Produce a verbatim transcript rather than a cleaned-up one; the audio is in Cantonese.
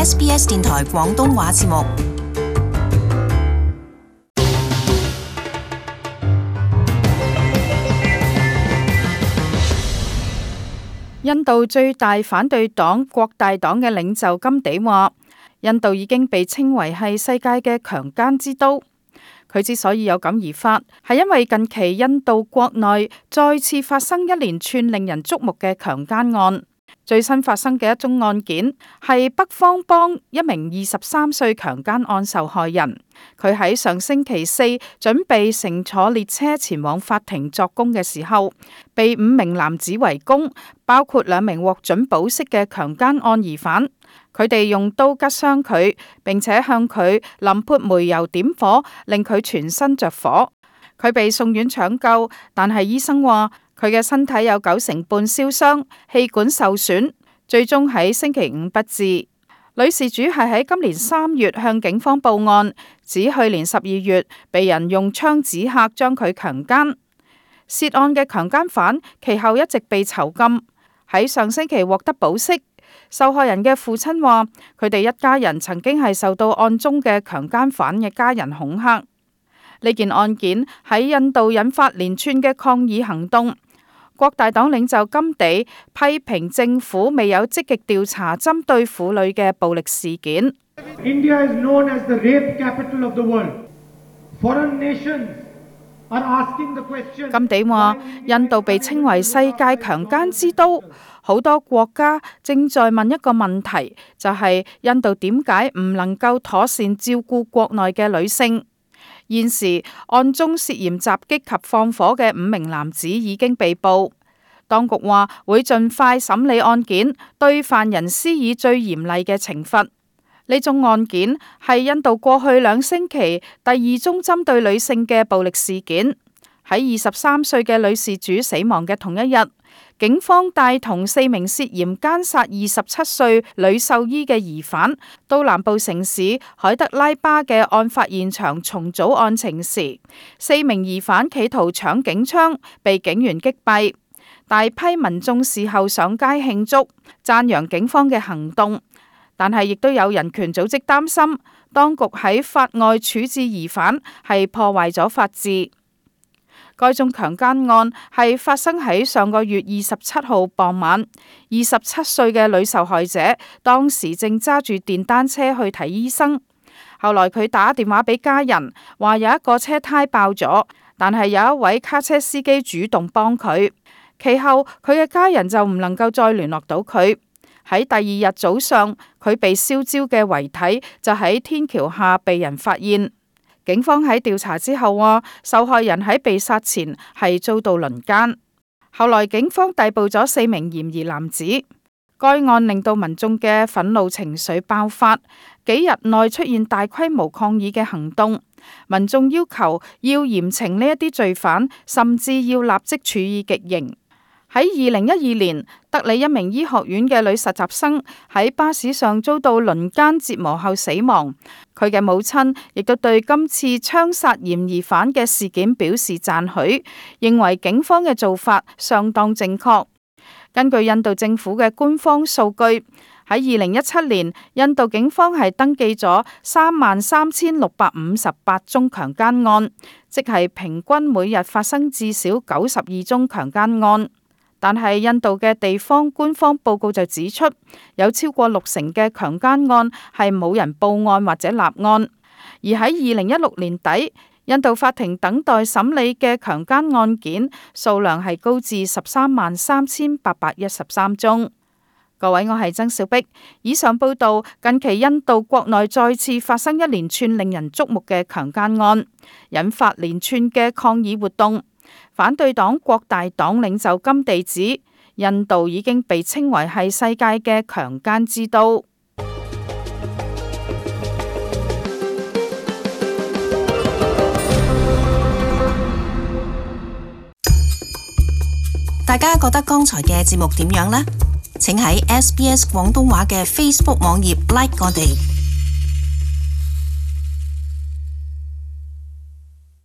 S B S 電台廣東話節目。印度最大反對黨國大黨嘅領袖甘地話，印度已經被稱為係世界嘅強姦之都。佢之所以有感而發，係因為近期印度國內再次發生一連串令人矚目嘅強姦案。最新發生嘅一宗案件係北方邦一名二十三歲強姦案受害人，佢喺上星期四準備乘坐列車前往法庭作供嘅時候，被五名男子圍攻，包括兩名獲准保釋嘅強姦案疑犯。佢哋用刀拮傷佢，並且向佢淋潑煤油點火，令佢全身着火。佢被送院搶救，但係醫生話佢嘅身體有九成半燒傷，氣管受損，最終喺星期五不治。女事主係喺今年三月向警方報案，指去年十二月被人用槍指嚇將佢強姦。涉案嘅強姦犯其後一直被囚禁，喺上星期獲得保釋。受害人嘅父親話，佢哋一家人曾經係受到案中嘅強姦犯嘅家人恐嚇。呢件案件喺印度引發連串嘅抗議行動。國大黨領袖甘地批評政府未有積極調查針對婦女嘅暴力事件。India is known as the rape capital of the world. Foreign nations are asking the question. 甘地話，印度被稱為世界強姦之都，好多國家正在問一個問題，就係印度點解唔能夠妥善照顧國內嘅女性。現時案中涉嫌襲擊及放火嘅五名男子已經被捕，當局話會盡快審理案件，對犯人施以最嚴厲嘅懲罰。呢宗案件係印度過去兩星期第二宗針對女性嘅暴力事件。喺二十三歲嘅女事主死亡嘅同一日，警方帶同四名涉嫌姦殺二十七歲女獸醫嘅疑犯到南部城市海德拉巴嘅案發現場重組案情時，四名疑犯企圖搶警槍，被警員擊斃。大批民眾事後上街慶祝，讚揚警方嘅行動，但係亦都有人權組織擔心，當局喺法外處置疑犯係破壞咗法治。該宗強姦案係發生喺上個月二十七號傍晚，二十七歲嘅女受害者當時正揸住電單車去睇醫生，後來佢打電話俾家人，話有一個車胎爆咗，但係有一位卡車司機主動幫佢。其後佢嘅家人就唔能夠再聯絡到佢。喺第二日早上，佢被燒焦嘅遺體就喺天橋下被人發現。警方喺調查之後話，受害人喺被殺前係遭到輪姦。後來警方逮捕咗四名嫌疑男子。該案令到民眾嘅憤怒情緒爆發，幾日內出現大規模抗議嘅行動。民眾要求要嚴懲呢一啲罪犯，甚至要立即處以極刑。喺二零一二年，德里一名醫學院嘅女實習生喺巴士上遭到輪姦折磨後死亡。佢嘅母親亦都對今次槍殺嫌疑犯嘅事件表示讚許，認為警方嘅做法相當正確。根據印度政府嘅官方數據，喺二零一七年，印度警方係登記咗三萬三千六百五十八宗強姦案，即係平均每日發生至少九十二宗強姦案。但係印度嘅地方官方報告就指出，有超過六成嘅強姦案係冇人報案或者立案。而喺二零一六年底，印度法庭等待審理嘅強姦案件數量係高至十三萬三千八百一十三宗。各位，我係曾小碧。以上報道，近期印度國內再次發生一連串令人矚目嘅強姦案，引發連串嘅抗議活動。反對黨國大黨領袖甘地指，印度已經被稱為係世界嘅強姦之都。大家覺得剛才嘅節目點樣呢？請喺 S B S 廣東話嘅 Facebook 網頁 like 我哋。